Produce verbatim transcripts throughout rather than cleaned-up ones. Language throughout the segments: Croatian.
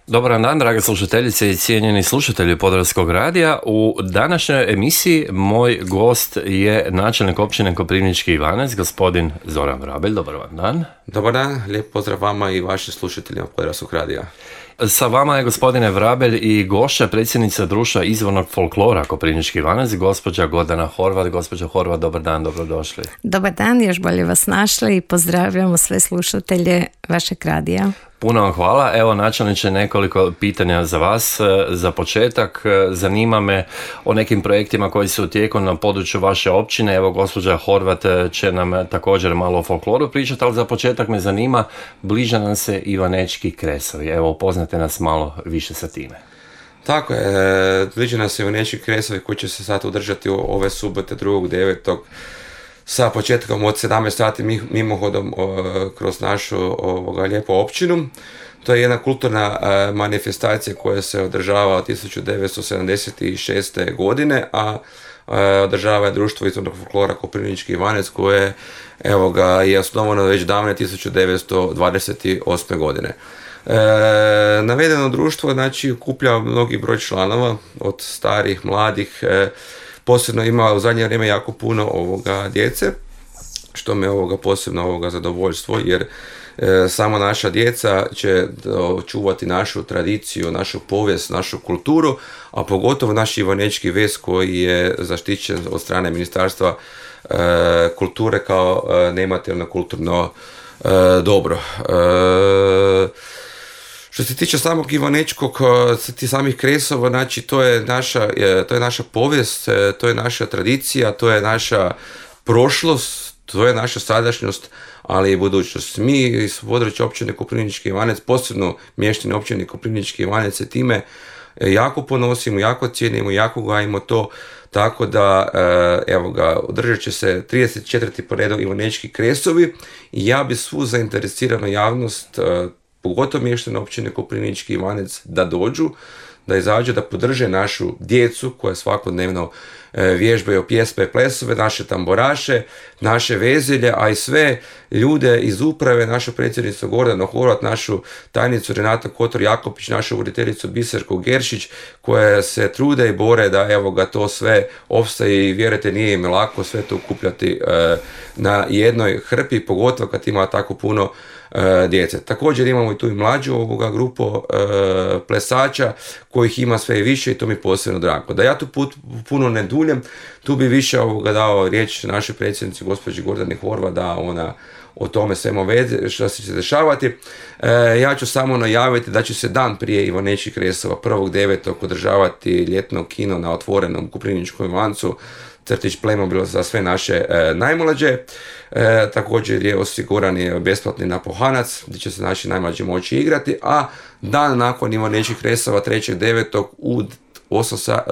Dobar dan, drage slušateljice i cijenjeni slušatelji Podravskog radija. U današnjoj emisiji moj gost je načelnik općine Koprivnički Ivanec, gospodin Zoran Vrabelj. Dobar vam dan. Dobar dan, lijep pozdrav vama i vašim slušateljima Podravskog radija. Sa vama je, gospodine Vrabelj, i gošća predsjednica društva izvornog folklora Koprivnički Ivanec, gospođa Gordana Horvat. Gospođa Horvat, dobar dan, dobrodošli. Dobar dan, još bolje vas našli i pozdravljamo sve slušatelje vašeg radija. Puno vam hvala. Evo, načelniče, nekoliko pitanja za vas. Za početak, zanima me o nekim projektima koji su u tijeku na području vaše općine. Evo, gospođa Horvat će nam također malo o folkloru pričati, ali za početak me zanima, bliža nam se Ivanečki kresovi. Evo, upoznate nas malo više sa time. Tako je, bliža nam se Ivanečki kresovi koji će se sad održati ove subote drugog devetog sa početkom od sedamnaest sati mimohodom kroz našu ovoga lijepu općinu. To je jedna kulturna manifestacija koja se održava od tisuću devetsto sedamdeset šeste. godine, a održava je društvo izvornog folklora Koprivnički Ivanec koje evo ga, je osnovano već davne tisuću devetsto dvadeset osme. godine. E, navedeno društvo znači okuplja mnogi broj članova, od starih, mladih, e, posebno ima u zadnje vrijeme jako puno ovoga djece, što me ovoga posebno ovoga zadovoljstvo, jer e, samo naša djeca će čuvati našu tradiciju, našu povijest, našu kulturu, a pogotovo naš Ivanečki vez koji je zaštićen od strane Ministarstva e, kulture kao e, nematerijalno kulturno e, dobro. E, Što se tiče samog Ivanečkog, ti samih kresova, znači to je naša, to je naša povijest, to je naša tradicija, to je naša prošlost, to je naša sadašnjost, ali i budućnost. Mi iz područja općine Koprivnički Ivanec, posebno mještani općine Koprivnički Ivanec, se time jako ponosimo, jako cijenimo, jako gajimo to, tako da, evo ga, održat će se trideset četvrti po redu Ivanečki kresovi i ja bi svu zainteresiranu javnost, pogotovo mještane općine Koprivnički Ivanec, da dođu, da izađu, da podrže našu djecu koja svakodnevno vježbaju pjesme i plesove, naše tamboraše, naše vezelje, a i sve ljude iz uprave, našu predsjednicu Gordanu Horvat, našu tajnicu Renata Kotor-Jakopić, našu voditeljicu Biserku Geršić, koje se trude i bore da evo ga to sve opstaje i vjerujte nije im lako sve to okupljati e, na jednoj hrpi, pogotovo kad ima tako puno e, djece. Također imamo i tu i mlađu ovoga grupu e, plesača kojih ima sve više i to mi posebno drago. Da ja tu put, puno ne duljem, tu bi više ovoga dao riječ našoj predsjednici gospođi Gordani Horvat da ona o tome svemu veze što će se dešavati. E, ja ću samo najaviti da će se dan prije Ivanečkih kresova prvog devetog održavati ljetno kino na otvorenom Koprivničkom Ivancu, crtić Playmobil za sve naše e, najmlađe. E, također je osiguran je besplatni napuhanac gdje će se naši najmlađi moći igrati, a dan nakon Ivanečkih kresova trećeg devetog u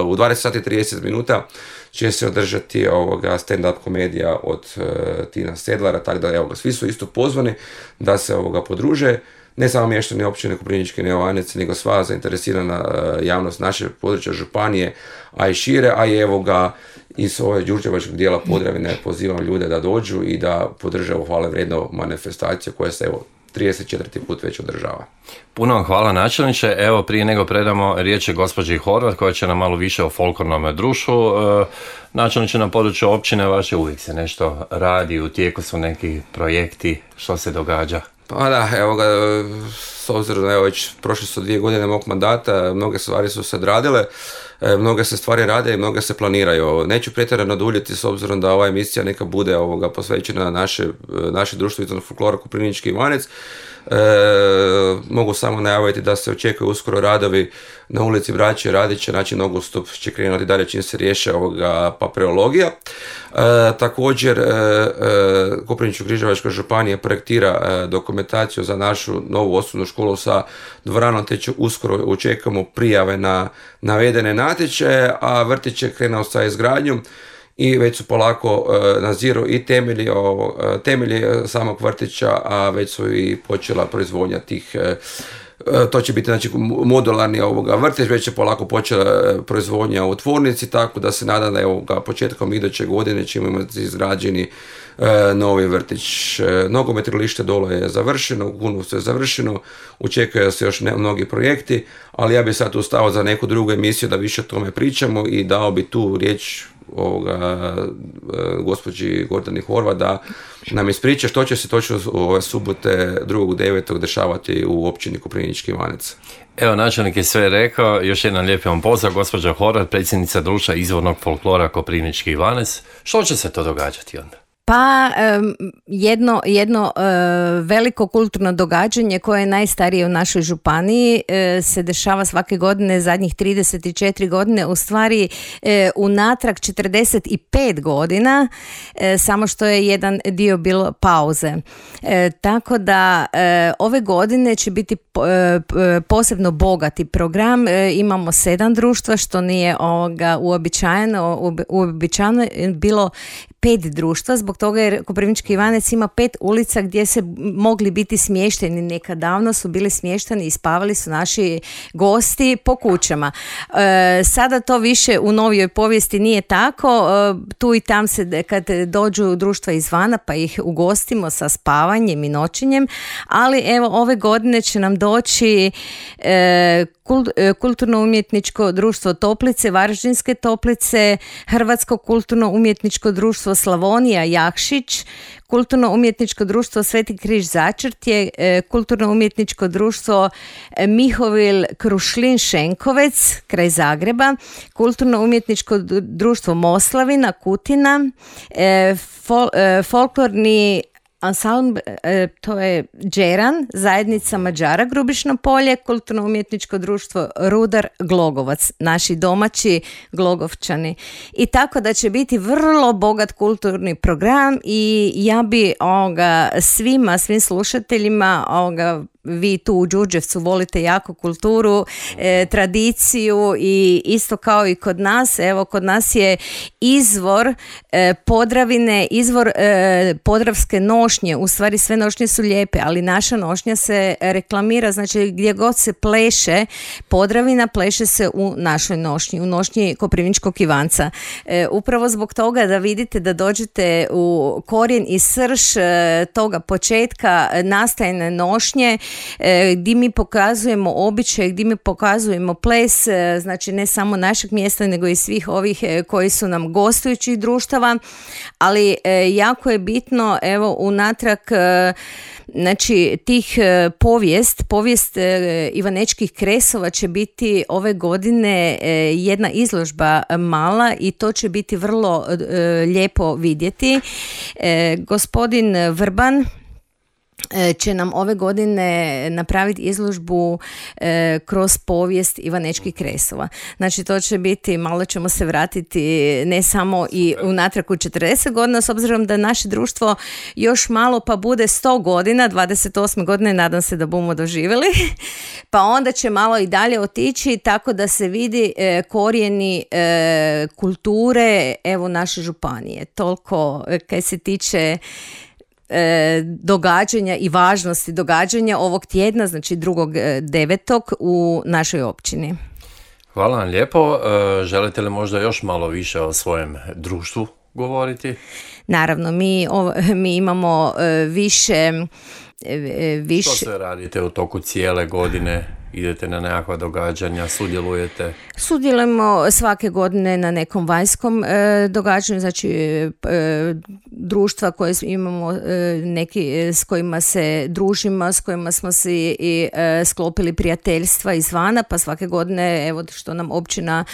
u dvadeset sati i trideset minuta će se održati ovoga stand-up komedija od uh, Tina Sedlara, tako da evo, svi su isto pozvani da se ovoga podruže, ne samo mještani općine Koprivnički Ivanec, nego sva zainteresirana uh, javnost naše područja županije, a i šire, a i evo ga iz ove đurđevačkog dijela Podravine pozivam ljude da dođu i da podrže ovu hvale vrijednu manifestaciju koja se evo trideset četvrti put već održava. Puno vam hvala, načelniče. Evo, prije nego predamo riječ gospođi Horvat koja će nam malo više o folklornom društvu. E, načelniče, na području općine vaše uvijek se nešto radi, u tijeku su neki projekti, što se događa? Pa da, evo ga, s obzirom da evo već prošle su dvije godine mog mandata, mnoge stvari su se odradile, mnoge se stvari rade i mnoge se planiraju. Neću pretjerano duljiti s obzirom da ova emisija neka bude ovoga posvećena naše, naše društvo izvornog folklora Koprivnički Ivanec. E, mogu samo najaviti da se očekuju uskoro radovi na ulici Braće Radića, znači nogostup će krenuti dalje čim se riješe ovoga papirologija. E, također e, e, Koprivničko-križevačka županija projektira e, dokumentaciju za našu novu osnovnu školu sa dvoranom, te će uskoro očekujemo prijave na navedene natječaje, a vrtić je krenuo sa izgradnjom i već su polako uh, naziru i temelji, uh, temelji samog vrtića, a već su i počela proizvodnja tih, uh, to će biti znači modularni ovoga vrtić, već je polako počela proizvodnja u tvornici, tako da se nadam da je ovoga početkom iduće godine ćemo imati izgrađeni novi vrtić. Nogomet igralište dole je završeno, u Kunovcu je završeno, očekuje se još ne, mnogi projekti, ali ja bih sad ustao za neku drugu emisiju da više o tome pričamo i dao bi tu riječ ovoga, gospođi Gordani Horvat da nam ispriča što će se točno ove subote drugog devetog dešavati u općini Koprivnički Ivanec. Evo, načelnik je sve rekao, još jedan lijepi vam pozdrav, gospođa Horvat, predsjednica društva izvornog folklora Koprivnički Ivanec. Što će se to događati onda? Pa jedno, jedno veliko kulturno događanje koje je najstarije u našoj županiji se dešava svake godine zadnjih trideset četiri godine, u stvari unatrag četrdeset pet godina, samo što je jedan dio bilo pauze. Tako da ove godine će biti posebno bogati program. Imamo sedam društva, što nije ovoga uobičajeno, uobičajeno bilo pet društva, zbog toga jer Koprivnički Ivanec ima pet ulica gdje se mogli biti smješteni. Nekad davno su bili smješteni i spavali su naši gosti po kućama. E, sada to više u novijoj povijesti nije tako. E, tu i tam se kad dođu društva izvana pa ih ugostimo sa spavanjem i noćenjem, ali evo ove godine će nam doći e, Kulturno-umjetničko društvo Toplice, Varaždinske Toplice, Hrvatsko kulturno-umjetničko društvo Slavonija Jakšić, Kulturno-umjetničko društvo Sveti križ Začrtje, Kulturno-umjetničko društvo Mihovil Krušlin Šenkovec kraj Zagreba, Kulturno-umjetničko društvo Moslavina Kutina, fol, folklorni ansambl, to je Džeran, zajednica Mađara Grubišno polje, Kulturno-umjetničko društvo Rudar Glogovac, naši domaći Glogovčani. I tako da će biti vrlo bogat kulturni program i ja bi ovoga, svima, svim slušateljima ovoga, vi tu u Đurđevcu volite jako kulturu, e, tradiciju i isto kao i kod nas, evo kod nas je izvor e, Podravine, izvor e, podravske nošnje, u stvari sve nošnje su lijepe, ali naša nošnja se reklamira, znači gdje god se pleše Podravina, pleše se u našoj nošnji, u nošnji Koprivničkog Ivanca. E, upravo zbog toga da vidite da dođete u korijen i srž e, toga početka nastajne nošnje, gdje mi pokazujemo običaj, gdje mi pokazujemo ples, znači ne samo našeg mjesta, nego i svih ovih koji su nam gostujućih društava, ali jako je bitno, evo, unatrag znači tih povijest, povijest Ivanečkih kresova će biti ove godine jedna izložba mala i to će biti vrlo lijepo vidjeti. Gospodin Vrban će nam ove godine napraviti izložbu e, kroz povijest Ivanečkih kresova. Znači to će biti, malo ćemo se vratiti ne samo i unatrag u četrdeset godina, s obzirom da naše društvo još malo pa bude sto godina, dvadeset osme godine nadam se da bomo doživjeli, pa onda će malo i dalje otići, tako da se vidi e, korijeni e, kulture evo naše županije. Toliko e, kaj se tiče događanja i važnosti događanja ovog tjedna, znači drugog devetog u našoj općini. Hvala vam lijepo. Želite li možda još malo više o svojem društvu govoriti? Naravno, mi, mi imamo više, više... Što sve radite u toku cijele godine? Idete na nekakva događanja, sudjelujete? Sudjelujemo svake godine na nekom vanjskom e, događanju, znači e, društva koje imamo, e, neki s kojima se družimo, s kojima smo si i e, sklopili prijateljstva izvana, pa svake godine, evo što nam općina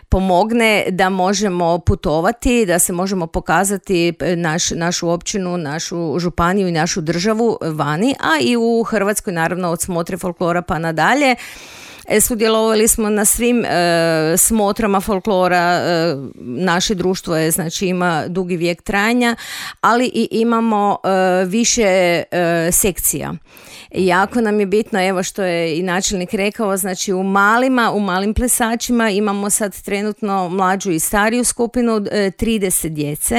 pomogne da možemo putovati, da se možemo pokazati naš, našu općinu, našu županiju i našu državu vani, a i u Hrvatskoj naravno od smotre folklora pa nadalje. Sudjelovali smo na svim e, smotrama folklora, e, naše društvo je, znači ima dugi vijek trajanja, ali i imamo e, više e, sekcija. Jako nam je bitno, evo što je i načelnik rekao, znači u malima, u malim plesačima imamo sad trenutno mlađu i stariju skupinu, trideset djece,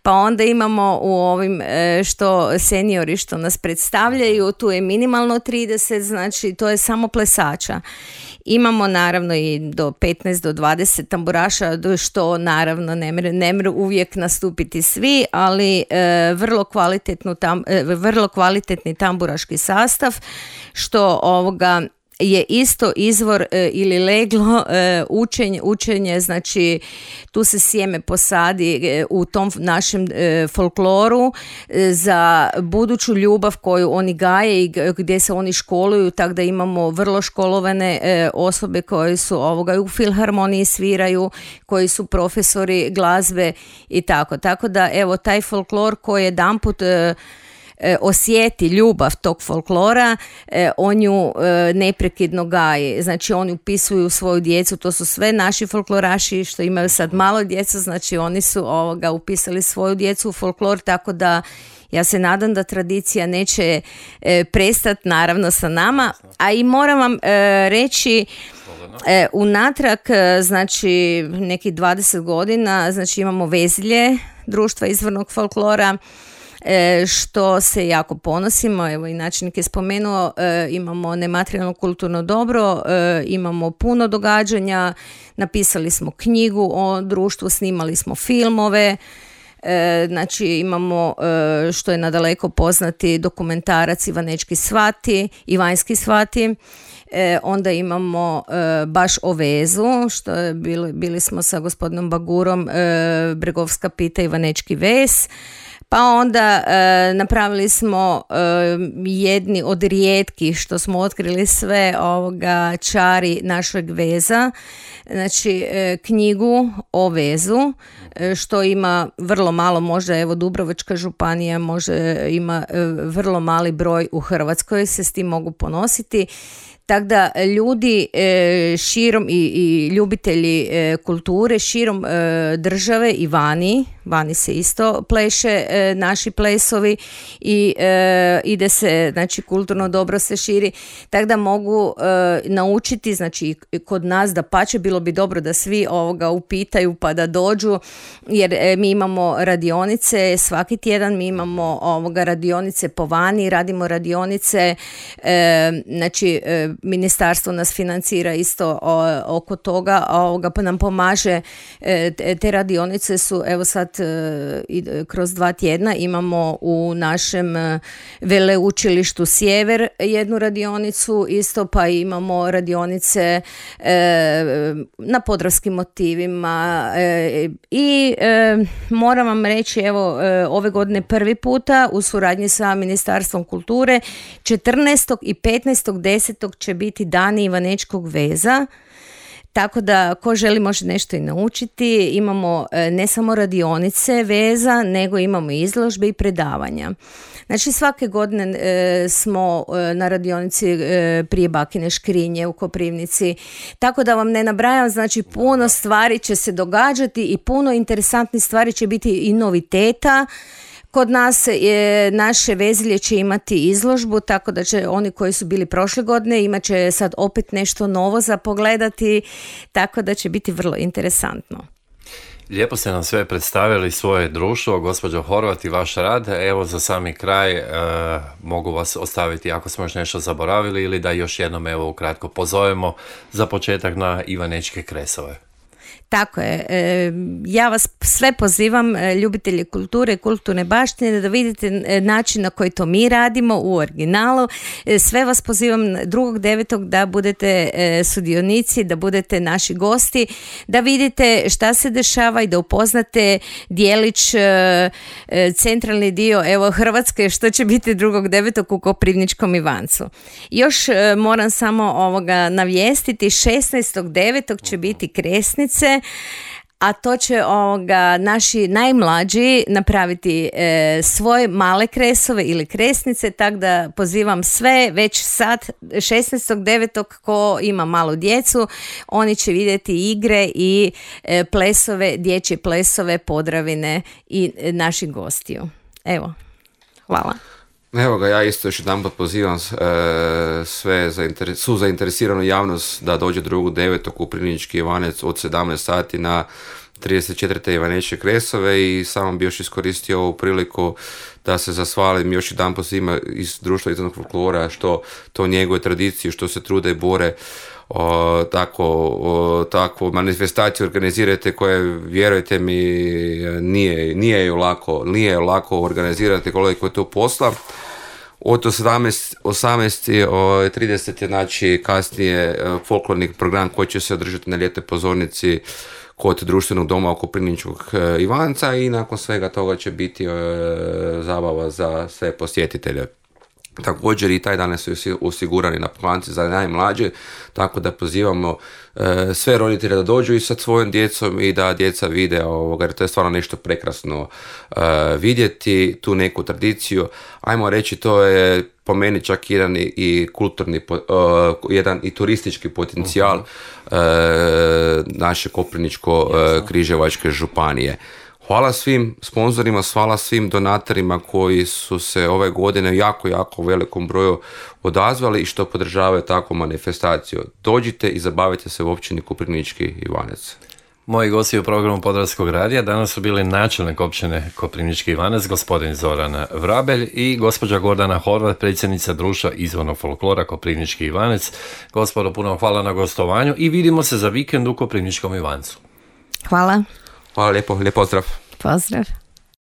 pa onda imamo u ovim što seniori što nas predstavljaju, tu je minimalno trideset, znači to je samo plesača. Imamo naravno i do petnaest do dvadeset tamburaša, što naravno ne mre, ne mre uvijek nastupiti svi, ali e, vrlo, kvalitetnu tam, e, vrlo kvalitetni tamburaški sastav, što ovoga je isto izvor e, ili leglo e, učenje, učenje, znači tu se sjeme posadi e, u tom našem e, folkloru e, za buduću ljubav koju oni gaje i gdje se oni školuju, tako da imamo vrlo školovane e, osobe koje su ovoga u filharmoniji sviraju, koji su profesori glazbe i tako. Tako da evo taj folklor koji jedanput e, osjeti ljubav tog folklora, on ju neprekidno gaji. Znači oni upisuju svoju djecu, to su sve naši folkloraši što imaju sad malo djeca, znači oni su ovoga upisali svoju djecu u folklor, tako da ja se nadam da tradicija neće e, prestati naravno sa nama, a i moram vam e, reći e, unatrag, znači nekih dvadeset godina, znači imamo Vezilje, društva izvornog folklora, što se jako ponosimo, evo i načelnik je spomenuo, e, imamo nematerijalno kulturno dobro, e, imamo puno događanja, napisali smo knjigu o društvu, snimali smo filmove, e, znači imamo e, što je nadaleko poznati dokumentarac Ivanečki svati, Ivanjski svati. E, onda imamo e, baš o vezu, što je bili, bili smo sa gospodinom Bagurom, e, Bregovska pita Ivanečki vez. Pa onda e, napravili smo e, jedni od rijetkih što smo otkrili sve ovoga čari našeg veza, znači e, knjigu o vezu, e, što ima vrlo malo, možda evo Dubrovačka županija može ima e, vrlo mali broj u Hrvatskoj, se s tim mogu ponositi. Tako da ljudi e, širom i, i ljubitelji e, kulture širom e, države i vani, vani se isto pleše e, naši plesovi i e, ide se, znači kulturno dobro se širi, tako da mogu e, naučiti, znači kod nas da pače bilo bi dobro da svi ovoga upitaju pa da dođu, jer e, mi imamo radionice svaki tjedan, mi imamo ovoga radionice po vani, radimo radionice, e, znači e, ministarstvo nas financira isto o, oko toga, ovoga pa nam pomaže, e, te radionice su evo sad e, kroz dva tjedna imamo u našem e, veleučilištu Sjever jednu radionicu, isto pa imamo radionice e, na podravskim motivima e, i e, moram vam reći evo e, ove godine prvi puta u suradnji sa Ministarstvom kulture četrnaestog i petnaestog desetog će biti dani Ivanečkog veza, tako da ko želi može nešto i naučiti. Imamo ne samo radionice veza, nego imamo izložbe i predavanja. Znači svake godine e, smo e, na radionici e, prije Bakine škrinje u Koprivnici, tako da vam ne nabrajam, znači puno stvari će se događati i puno interesantnih stvari će biti i noviteta. Kod nas je, naše Vezilje će imati izložbu, tako da će oni koji su bili prošle godine imat će sad opet nešto novo za pogledati, tako da će biti vrlo interesantno. Lijepo ste nam sve predstavili svoje društvo, gospođo Horvat i vaš rad. Evo za sami kraj e, mogu vas ostaviti ako smo još nešto zaboravili ili da još jednom evo ukratko pozovemo za početak na Ivanečke kresove. Tako je. Ja vas sve pozivam, ljubitelji kulture, kulturne baštine, da vidite način na koji to mi radimo u originalu. Sve vas pozivam drugog devetog da budete sudionici, da budete naši gosti, da vidite šta se dešava i da upoznate dijelić, centralni dio evo Hrvatske, što će biti drugog devetog u Koprivničkom Ivancu. Još moram samo ovoga navijestiti, šesnaestog devetog će biti kresnice, a to će ovoga, naši najmlađi napraviti e, svoje male kresove ili kresnice, tako da pozivam sve već sad šesnaestog devetog ko ima malu djecu, oni će vidjeti igre i e, plesove, dječje plesove Podravine i e, naših gostiju. Evo, hvala. Evo ga, ja isto još jedan pot pozivam e, sve zainteres, su zainteresiranu javnost da dođe drugog devetog u Koprivnički Ivanec od sedamnaest sati na trideset četiri. Ivanečke kresove i samo bi još iskoristio ovu priliku da se zahvalim još jedan pot svima iz društva izvornog folklora što to njegove tradicije, što se trude i bore o, tako, o, takvu manifestaciju organizirate koje, vjerujte mi, nije, nije ju lako, nije ju lako organizirati koliko je to posla. Od osamnaest i trideset je znači kasnije folklorni program koji će se održati na ljetnoj pozornici kod društvenog doma oko Koprivničkog Ivanca i nakon svega toga će biti e, zabava za sve posjetitelje. Također i taj danas su osigurani na planci za najmlađe, tako da pozivamo e, sve roditelje da dođu i sa svojom djecom i da djeca vide ovoga, jer to je stvarno nešto prekrasno e, vidjeti, tu neku tradiciju. Ajmo reći, to je po meni čak jedan i, i kulturni, uh, jedan i turistički potencijal uh-huh. uh, naše Koprivničko-križevačke uh, županije. Hvala svim sponzorima, hvala svim donatorima koji su se ove godine jako, jako u velikom broju odazvali i što podržavaju takvu manifestaciju. Dođite i zabavite se u općini Koprivnički Ivanec. Moji gosti u programu Podravskog radija danas su bili načelnik općine Koprivnički Ivanec, gospodin Zoran Vrabelj i gospođa Gordana Horvat, predsjednica društva izvornog folklora Koprivnički Ivanec. Gospodo, puno hvala na gostovanju i vidimo se za vikend u Koprivničkom Ivancu. Hvala. Hvala lijepo, lijep pozdrav. Pozdrav.